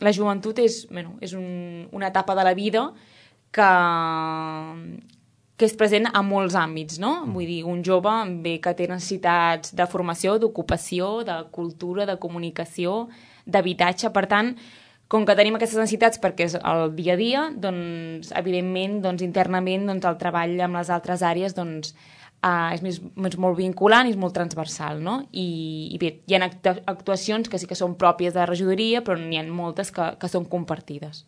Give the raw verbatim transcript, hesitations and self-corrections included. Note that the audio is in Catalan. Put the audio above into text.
la joventut és, bueno, és un, una etapa de la vida que, que és present a molts àmbits, no? Vull dir, un jove bé que té necessitats de formació, d'ocupació, de cultura, de comunicació, d'habitatge. Per tant, com que tenim aquestes necessitats perquè és el dia a dia, doncs, evidentment, doncs, internament, doncs, el treball amb les altres àrees doncs, uh, és, més, és molt vinculant i és molt transversal, no? I, i bé, hi ha actuacions que sí que són pròpies de la regidoria, però n'hi ha moltes que, que són compartides.